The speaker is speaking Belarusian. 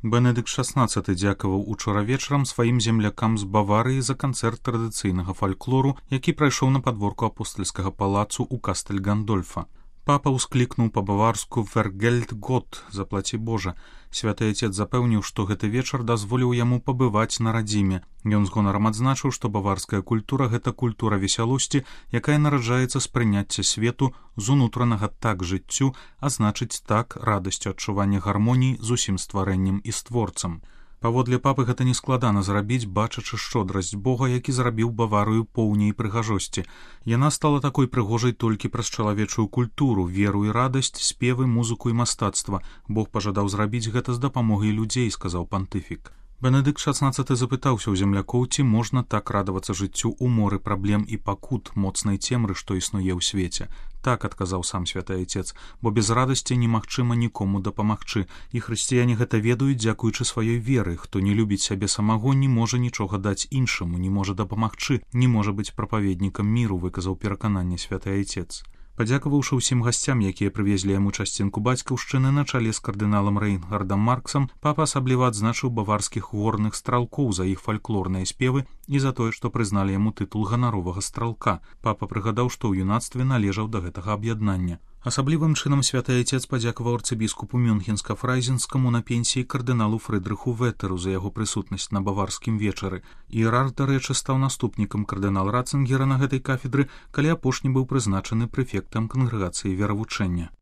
Бенедыкт XVI дзякаваў учора вечарам сваім землякам з Баварыі за канцэрт традыцыйнага фальклору, які прайшоў на падворку апостальскага палацу ў Кастэль Гандольфа. Папа ўсклікнуў па-баварску «Vergelt Gott» – «Заплаці Божа». Святы Айцец запэўніў, што гэты вечар дазволіў яму пабываць на радзіме. Ён з гонарам адзначыў, што баварская культура – гэта культура весялосці, якая нараджаецца з прыняцця свету, з унутранага так жыццю, а значыць так радасцю адчування гармоніі з усім стварэннем і створцам. Паводле папы гэта нескладана зрабіць, бачачы шчодрасць Бога, які зрабіў Баварыю поўняй прыгажосці. Яна стала такой прыгожай толькі праз чалавечую культуру, веру і радасць, спевы, музыку і мастацтва. Бог пажадаў зрабіць гэта з дапамогай людзей, сказаў пантыфік. Бенедыкт XVI запытаўся ў землякоў, ці можна так радавацца жыццю ў моры праблем і пакут, моцнай цемры, што існуе ў свеце. Так, адказаў сам святы Айцец, бо без радасці немагчыма нікому дапамагчы, і хрысціяне гэта ведаюць дзякуючы сваёй веры. Хто не любіць сябе самого, не можа нічога даць іншаму, не можа дапамагчы, не можа быць прапаведнікам міру, выказаў перакананне святы Айцец. Падзякаваўшы ўсім гасцям, якія прывезлі яму часцінку бацькаўшчыны на чале з кардыналам Рэйнгардам Марксам, папа асабліва адзначыў баварскіх горных стралкоў за іх фальклорныя спевы і за тое, што прызналі яму тытул ганаровага стралка. Папа прыгадаў, што ў юнацтве належаў да гэтага аб'яднання. Асаблівым чынам святы Айцец падзякаваў арцыбіскупу Мюнхенска-Фрайзенскаму на пенсіі кардыналу Фрыдрыху Ветэру за яго прысутнасць на баварскім вечары. Іерарх, дарэчы, стаў наступнікам кардынала Ратцынгера на гэтай кафедры, калі апошні быў прызначаны прэфектам кангрэгацыі веравучэння.